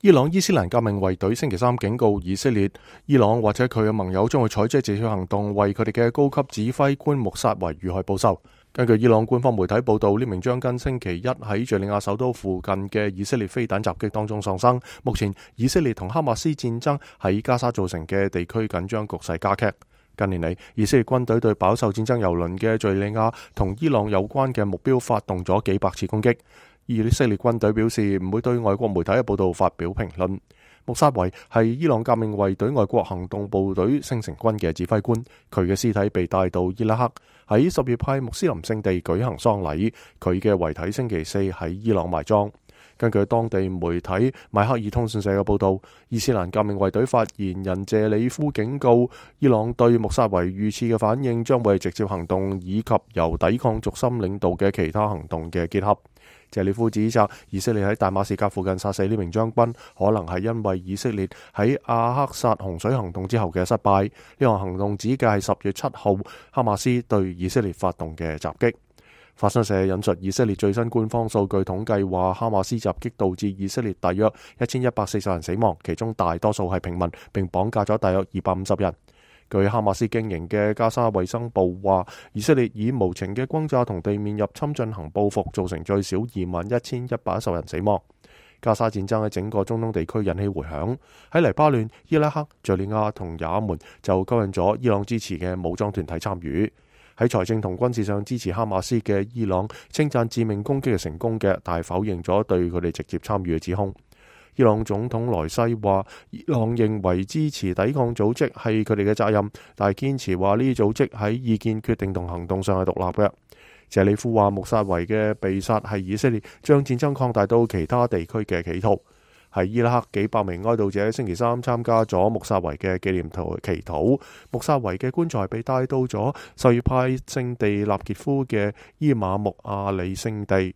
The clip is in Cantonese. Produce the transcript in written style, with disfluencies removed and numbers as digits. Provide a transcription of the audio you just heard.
伊朗伊斯蘭革命衛隊星期三警告以色列，伊朗或者佢嘅盟友將會採取直接行動，為佢哋嘅高級指揮官穆薩維遇害報仇。根據伊朗官方媒體報道，呢名將軍星期一喺敘利亞首都附近嘅以色列飛彈襲擊當中喪生。目前以色列同哈馬斯戰爭喺加沙造成嘅地區緊張局勢加劇。近年嚟，以色列軍隊對飽受戰爭蹂躪嘅敘利亞同伊朗有關嘅目標發動咗幾百次攻擊。以色列軍隊表示唔會對外國媒體嘅報道發表評論。穆薩維係伊朗革命衛隊外國行動部隊星城軍嘅指揮官，佢嘅屍體被帶到伊拉克，喺什葉派穆斯林聖地舉行喪禮，佢嘅遺體星期四喺伊朗埋葬。根據當地媒體邁克爾通訊社嘅報道，伊斯蘭革命衛隊發言人謝里夫警告，伊朗對穆薩維遇刺嘅反應將會係直接行動以及由抵抗軸心領導嘅其他行動嘅結合。謝里夫指責以色列喺大馬士革附近殺死呢名將軍，可能係因為以色列喺阿克薩洪水行動之後嘅失敗。呢項行動指嘅係10月7號哈馬斯對以色列發動嘅襲擊。法新社引述以色列最新官方數據統計話，哈馬斯襲擊導致以色列大約1140人死亡，其中大多數係平民，並綁架咗大約250人。據哈馬斯經營嘅加沙衛生部話，以色列以無情嘅轟炸同地面入侵進行報復，造成最少21,110人死亡。加沙戰爭喺整個中東地區引起迴響，喺黎巴嫩、伊拉克、敘利亞同也門就吸引咗伊朗支持嘅武裝團體參與。喺財政同軍事上支持哈馬斯嘅伊朗稱讚致命攻擊係成功嘅，但係否認咗對佢哋直接參與嘅指控。伊朗總統萊西話，伊朗認為支持抵抗組織係佢哋嘅責任，但係堅持話呢啲組織喺意見決定同行動上係獨立嘅。謝里夫話，穆薩維嘅被殺係以色列將戰爭擴大到其他地區嘅企圖。喺伊拉克，幾百名哀悼者星期三參加咗穆薩維嘅紀念祈禱。穆薩維嘅棺材被帶到咗什葉派聖地納傑夫嘅伊馬木阿里聖地。